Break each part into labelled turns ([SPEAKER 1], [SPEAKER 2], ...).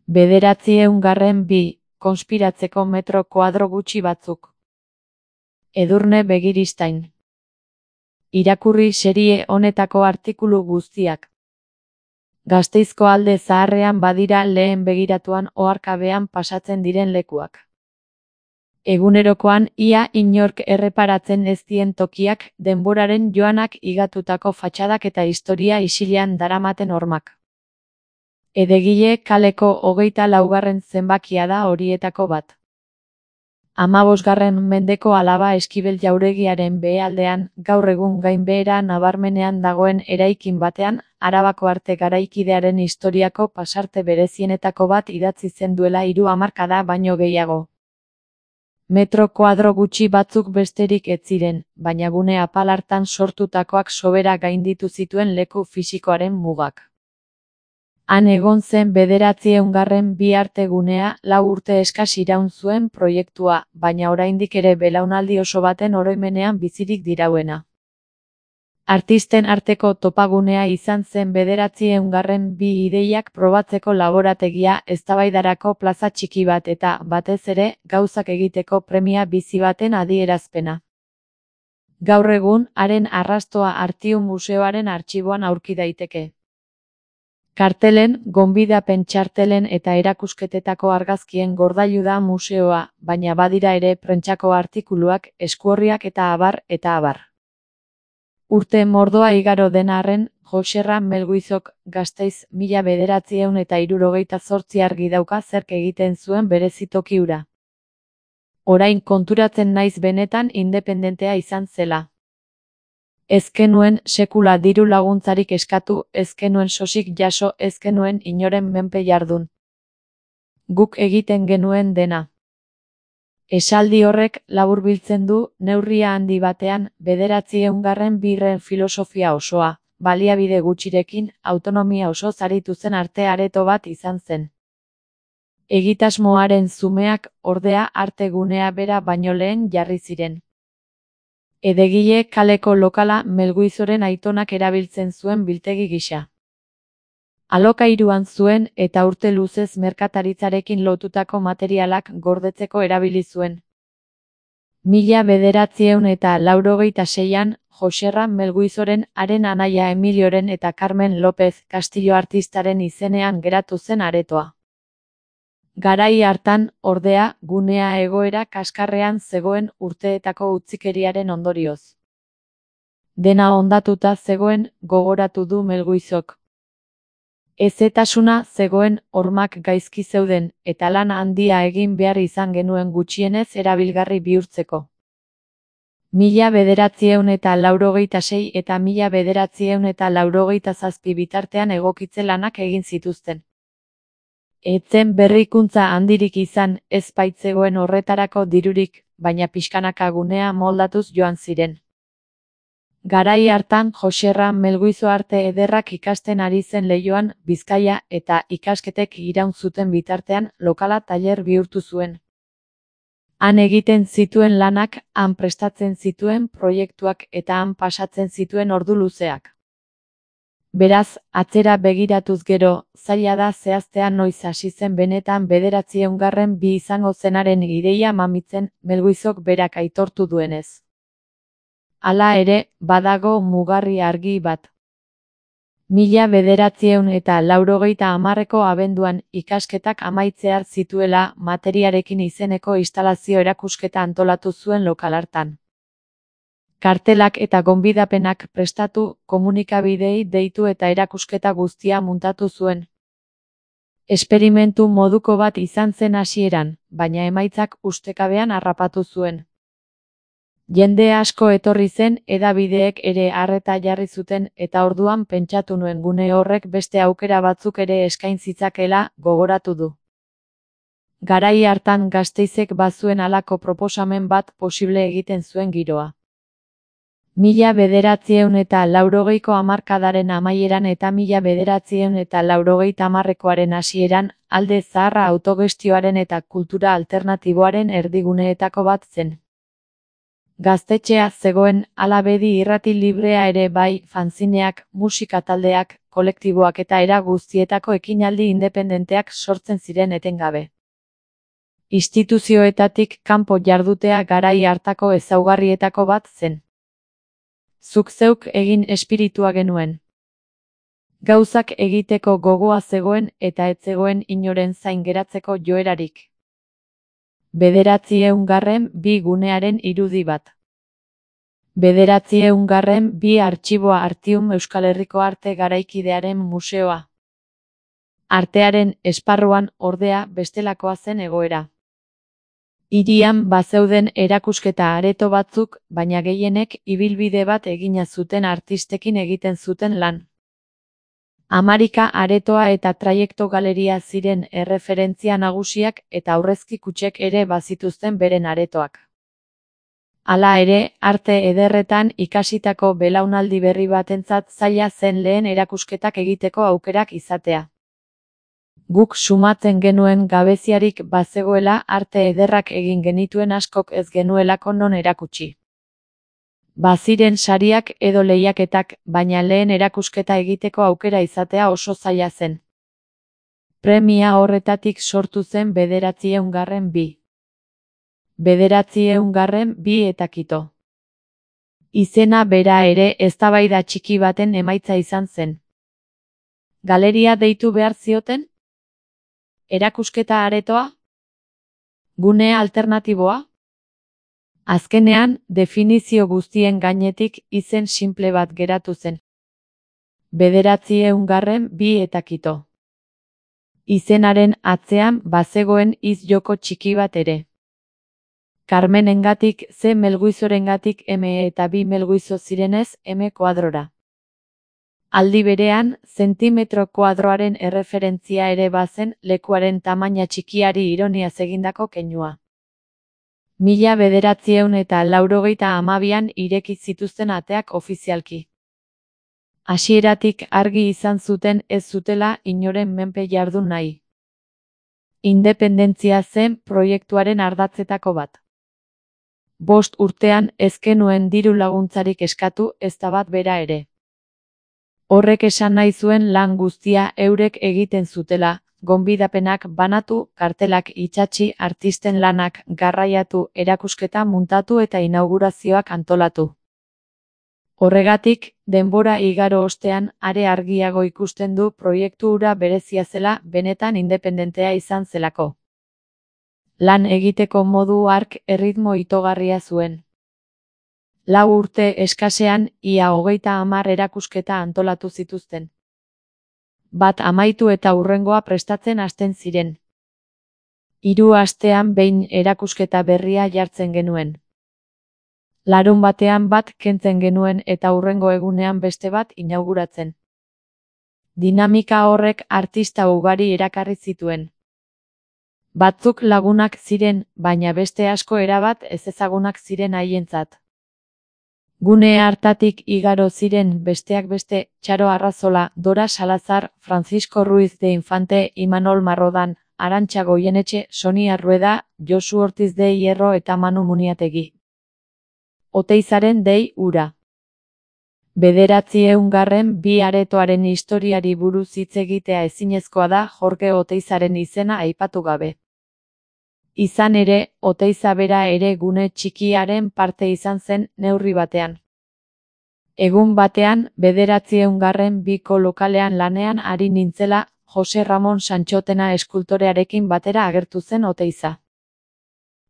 [SPEAKER 1] 902. Konspiratzeko metro koadro gutxi batzuk. Edurne Begiristain. Irakurri serie honetako artikulu guztiak. Gasteizko Alde Zaharrean badira lehen begiratuan oharkabean pasatzen diren lekuak. Egunerokoan ia inork erreparatzen ez dien tokiak, denboraren joanak higatutako fatxadak eta historia isilean daramaten hormak. Edegile kaleko 24. zenbakia da horietako bat. 15. mendeko Alaba Eskibel jauregiaren behealdean, gaur egun gainbehera nabarmenean dagoen eraikin batean, Arabako arte garaikidearen historiako pasarte berezienetako bat idatzi zen duela 3 hamarkada baino gehiago. Metro koadro gutxi batzuk besterik ez ziren, baina gune apal hartan sortutakoak sobera gainditu zituen leku fisikoaren mugak. Han egon zen 902. arte gunea, 4 urte eskas iraun zuen proiektua, baina oraindik ere belaunaldi oso baten oroimenean bizirik dirauena. Artisten arteko topagunea izan zen 902. ideiak probatzeko laborategia, eztabaidarako plaza txiki bat eta, batez ere, gauzak egiteko premia bizi baten adierazpena. Gaur egun, haren arrastoa Artium Museoaren artxiboan aurki daiteke. Kartelen, gonbidapen txartelen eta erakusketetako argazkien gordailu da museoa, baina badira ere prentsako artikuluak, eskuorriak eta abar, eta abar. Urte mordoa igaro den arren, Joserra Melguizok, Gasteiz, 1968 argi dauka zerk egiten zuen berezitoki hura. Orain konturatzen naiz benetan independentea izan zela. Ez genuen sekula diru laguntzarik eskatu, ez genuen sosik jaso, ez genuen inoren menpe jardun. Guk egiten genuen dena. Esaldi horrek laburbiltzen du, neurria handi batean, 902. filosofia osoa, baliabide gutxirekin, autonomia oso zaritu zen arte areto bat izan zen. Egitasmoaren zumeak, ordea, arte gunea bera baino lehen jarri ziren. Edegile kaleko lokala Melguizoren aitonak erabiltzen zuen biltegi gisa. Alokairuan zuen eta urte luzez merkataritzarekin lotutako materialak gordetzeko erabili zuen. 1986an, Joserra Melguizoren haren anaia Emilioren eta Carmen López Castillo artistaren izenean geratu zen aretoa. Garai hartan, ordea, gunea egoera kaskarrean zegoen urteetako utzikeriaren ondorioz. Dena hondatuta zegoen, gogoratu du Melguizok. Hezetasuna zegoen, hormak gaizki zeuden, eta lan handia egin behar izan genuen gutxienez erabilgarri bihurtzeko. 1986 eta 1987 bitartean egokitze lanak egin zituzten. Etzen berrikuntza handirik izan, ez baitzegoen horretarako dirurik, baina pixkanaka gunea moldatuz joan ziren. Garai hartan Joserra Melguizo arte ederrak ikasten ari zen Leioan, Bizkaia, eta ikasketek iraun zuten bitartean lokala tailer bihurtu zuen. Han egiten zituen lanak, han prestatzen zituen proiektuak eta han pasatzen zituen ordu luzeak. Beraz, atzera begiratuz gero, zaila da zehaztea noiz hasi zen benetan 902. izango zenaren ideia mamitzen, Melguizok berak aitortu duenez. Hala ere, badago mugarri argi bat. 1980ko abenduan ikasketak amaitzear zituela materiarekin izeneko instalazio erakusketa antolatu zuen lokal hartan. Kartelak eta gonbidapenak prestatu, komunikabideei deitu eta erakusketa guztia muntatu zuen. Esperimentu moduko bat izan zen hasieran, baina emaitzak ustekabean harrapatu zuen. Jende asko etorri zen, hedabideek ere arreta jarri zuten, eta orduan pentsatu nuen gune horrek beste aukera batzuk ere eskain zitzakela, gogoratu du. Garai hartan Gasteizek bazuen halako proposamen bat posible egiten zuen giroa. 1980ko hamarkadaren amaieran eta 1980koaren hasieran, Alde Zaharra autogestioaren eta kultura alternatiboaren erdiguneetako bat zen. Gaztetxea zegoen, hala bedi irrati librea ere bai, fanzineak, musika taldeak, kolektiboak eta era guztietako ekinaldi independenteak sortzen ziren etengabe. Instituzioetatik kanpo jardutea garai hartako ezaugarrietako bat zen. Zuk zeuk egin espiritua genuen. Gauzak egiteko gogoa zegoen eta ez zegoen inoren zain geratzeko joerarik. 902 gunearen irudi bat. 902 artxiboa Artium Euskal Herriko Arte Garaikidearen Museoa. Artearen esparruan, ordea, bestelakoa zen egoera. Hirian bazeuden erakusketa areto batzuk, baina gehienek ibilbide bat egina zuten artistekin egiten zuten lan. Hamarika aretoa eta traiekto galeria ziren erreferentzia nagusiak eta aurrezki kutxek ere bazituzten beren aretoak. Hala ere, arte ederretan ikasitako belaunaldi berri batentzat zaila zen lehen erakusketak egiteko aukerak izatea. Guk sumatzen genuen gabeziarik bazegoela arte ederrak egin genituen askok ez genuelako non erakutsi. Baziren sariak edo lehiaketak, baina lehen erakusketa egiteko aukera izatea oso zaila zen. Premia horretatik sortu zen 902. 902 eta kito. Izena bera ere eztabaida txiki baten emaitza izan zen. Galeria deitu behar zioten? Erakusketa aretoa? Gune alternatiboa? Azkenean, definizio guztien gainetik izen simple bat geratu zen. 902 eta kito. Izenaren atzean bazegoen hitz-joko txiki bat ere. Carmenengatik C Melguizorengatik M eta B Melguizo zirenez M kuadrora. Aldi berean, zentimetro kuadroaren erreferentzia ere bazen lekuaren tamaina txikiari ironiaz egindako keinua. 1992an ireki zituzten ateak ofizialki. Hasieratik argi izan zuten ez zutela inoren menpe jardun nahi. Independentzia zen proiektuaren ardatzetako bat. 5 urtean ez genuen diru laguntzarik eskatu ezta bat bera ere. Horrek esan nahi zuen lan guztia eurek egiten zutela, gonbidapenak banatu, kartelak itsatsi, artisten lanak garraiatu, erakusketa muntatu eta inaugurazioak antolatu. Horregatik, denbora igaro ostean, are argiago ikusten du proiektu hura berezia zela, benetan independentea izan zelako. Lan egiteko modu hark erritmo itogarria zuen. 4 urte eskasean, ia 30 erakusketa antolatu zituzten. Bat amaitu eta hurrengoa prestatzen hasten ziren. 3 astean behin erakusketa berria jartzen genuen. Larunbatean bat kentzen genuen eta hurrengo egunean beste bat inauguratzen. Dinamika horrek artista ugari erakarri zituen. Batzuk lagunak ziren, baina beste asko erabat ezezagunak ziren haientzat. Gune hartatik igaro ziren besteak beste, Txaro Arrazola, Dora Salazar, Francisco Ruiz de Infante, Imanol Marrodan, Arantxa Goienetxe, Sonia Rueda, Josu Ortiz de Hierro eta Manu Muniategi. Oteizaren dei ura. 902 aretoaren historiari buruz hitz egitea ezinezkoa da Jorge Oteizaren izena aipatu gabe. Izan ere, Oteiza bera ere gune txikiaren parte izan zen neurri batean. Egun batean, 902ko lokalean lanean ari nintzela, Jose Ramon Santxotena eskultorearekin batera agertu zen Oteiza.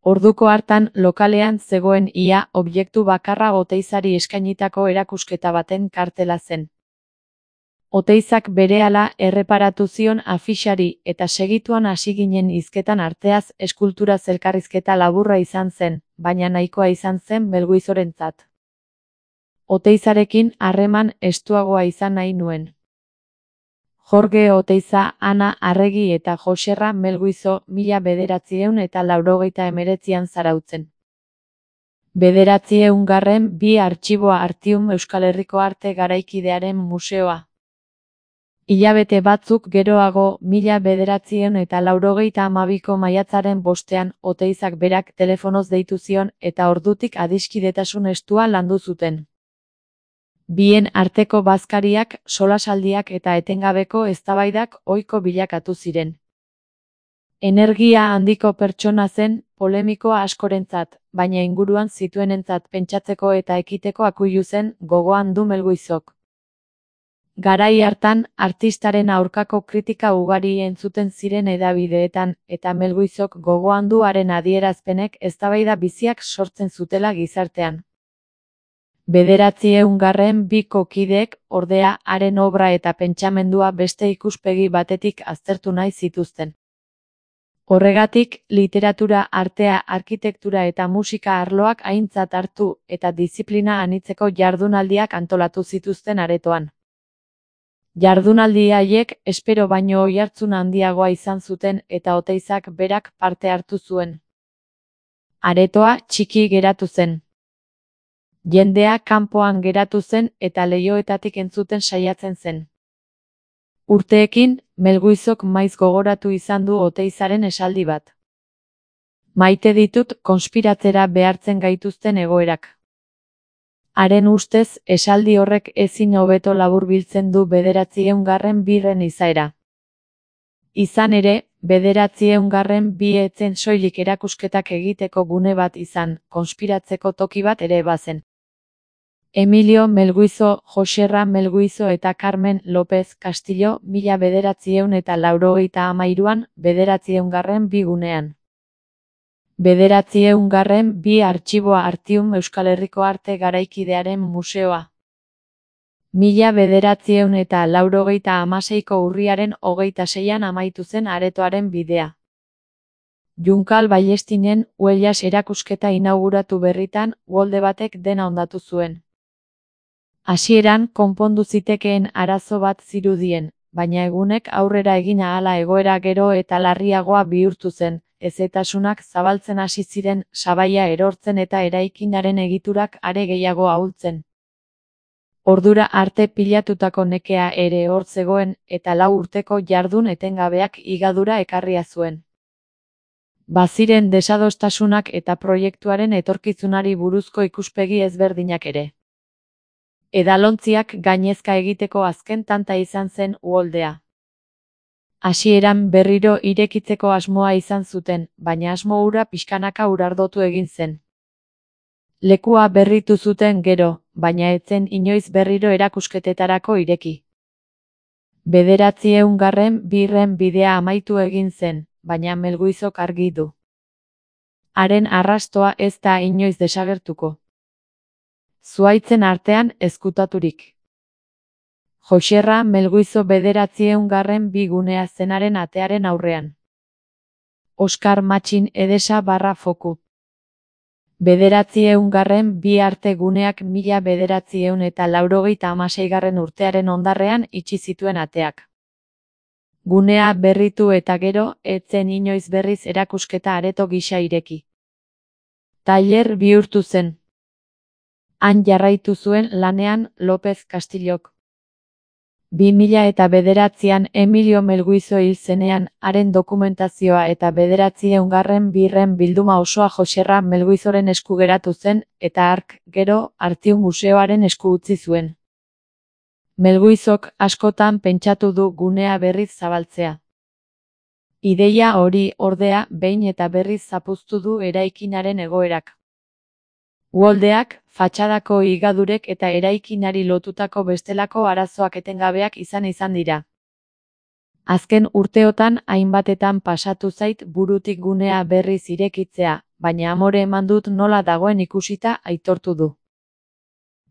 [SPEAKER 1] Orduko hartan lokalean zegoen ia objektu bakarra Oteizari eskainitako erakusketa baten kartela zen. Oteizak berehala erreparatu zion afixari eta segituan hasi ginen hizketan arteaz eskulturaz elkarrizketa laburra izan zen, baina nahikoa izan zen Melguizorentzat. Oteizarekin harreman estuagoa izan nahi nuen. Jorge Oteiza, Ana Arregi eta Joserra Melguizo 1989an zarautzen. 902 artxiboa Artium Euskal Herriko Arte Garaikidearen Museoa. Hilabete batzuk geroago, 1982ko maiatzaren 5ean, Oteizak berak telefonoz deitu zion eta ordutik adiskidetasun estua landu zuten. Bien arteko bazkariak, solasaldiak eta etengabeko eztabaidak ohiko bilakatu ziren. Energia handiko pertsona zen, polemikoa askorentzat, baina inguruan zituenentzat pentsatzeko eta ekiteko akuilu zen, gogoan du Melguizok. Garai hartan, artistaren aurkako kritika ugari entzuten ziren hedabideetan, eta Melguizok gogoan du haren adierazpenek eztabaida biziak sortzen zutela gizartean. 902ko kideek, ordea, haren obra eta pentsamendua beste ikuspegi batetik aztertu nahi zituzten. Horregatik, literatura, artea, arkitektura eta musika arloak aintzat hartu eta diziplina anitzeko jardunaldiak antolatu zituzten aretoan. Jardunaldi haiek espero baino oihartzun handiagoa izan zuten eta Oteizak berak parte hartu zuen. Aretoa txiki geratu zen. Jendea kanpoan geratu zen eta leihoetatik entzuten saiatzen zen. Urteekin, Melguizok maiz gogoratu izan du Oteizaren esaldi bat. Maite ditut konspiratzera behartzen gaituzten egoerak. Haren ustez, esaldi horrek ezin hobeto laburbiltzen du 902 izaera. Izan ere, 902 ez zen soilik erakusketak egiteko gune bat izan, konspiratzeko toki bat ere bazen. Emilio Melguizo, Joserra Melguizo eta Carmen López Castillo 1983an 902 gunean. 902 Artxiboa Artium Euskal Herriko Arte Garaikidearen Museoa. 1986ko urriaren 26an amaitu zen aretoaren bidea. Junkal Ballestinen Huellas erakusketa inauguratu berritan, uholde batek dena hondatu zuen. Hasieran konpondu zitekeen arazo bat zirudien, baina egunek aurrera egin ahala egoera gero eta larriagoa bihurtu zen, hezetasunak zabaltzen hasi ziren, sabaia erortzen eta eraikinaren egiturak are gehiago ahultzen. Ordura arte pilatutako nekea ere hor zegoen, eta 4 urteko jardun etengabeak higadura ekarria zuen. Baziren desadostasunak eta proiektuaren etorkizunari buruzko ikuspegi ezberdinak ere. Edalontziak gainezka egiteko azken tanta izan zen uholdea. Hasieran berriro irekitzeko asmoa izan zuten, baina asmo hura pixkanaka urardotu egin zen. Lekua berritu zuten gero, baina ez zen inoiz berriro erakusketetarako ireki. 902 bidea amaitu egin zen, baina Melguizok argi du. Haren arrastoa ez da inoiz desagertuko. Zuhaitzen artean ezkutaturik. Joserra Melguizo 902 gunea zenaren atearen aurrean. Oskar Matxin Edesa /foku. 902 arte guneak 1986 urtearen hondarrean itxi zituen ateak. Gunea berritu eta gero, ez zen inoiz berriz erakusketa areto gisa ireki. Tailer bihurtu zen. Han jarraitu zuen lanean López Castillok. 2009an Emilio Melguizo hil zenean, haren dokumentazioa eta 902 bilduma osoa Joserra Melguizoren esku geratu zen, eta hark, gero, Artium Museoaren esku utzi zuen. Melguizok askotan pentsatu du gunea berriz zabaltzea. Ideia hori, ordea, behin eta berriz zapuztu du eraikinaren egoerak. Uholdeak, fatxadako higadurek eta eraikinari lotutako bestelako arazoak etengabeak izan dira. Azken urteotan hainbatetan pasatu zait burutik gunea berriz irekitzea, baina amore eman dut nola dagoen ikusita aitortu du.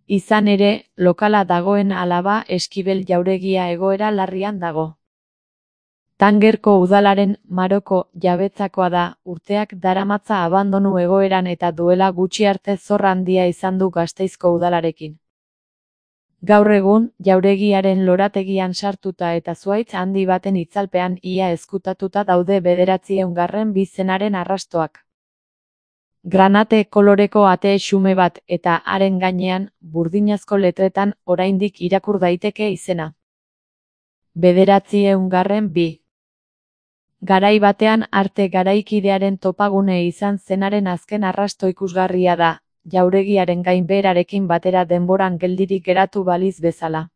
[SPEAKER 1] Izan ere, lokala dagoen Alaba Eskibel jauregia egoera larrian dago. Tangerko udalaren Maroko jabetzakoa da, urteak daramatza abandonu egoeran eta duela gutxi arte zorra handia izan du Gasteizko udalarekin. Gaur egun, jauregiaren lorategian sartuta eta zuhaitz handi baten itzalpean ia ezkutatuta daude 902 zenaren arrastoak. Granate koloreko ate xume bat eta haren gainean, burdinazko letretan oraindik irakur daiteke izena. 1902. Garai batean arte garaikidearen topagune izan zenaren azken arrasto ikusgarria da, jauregiaren gainbeherarekin batera denboran geldirik geratu baliz bezala.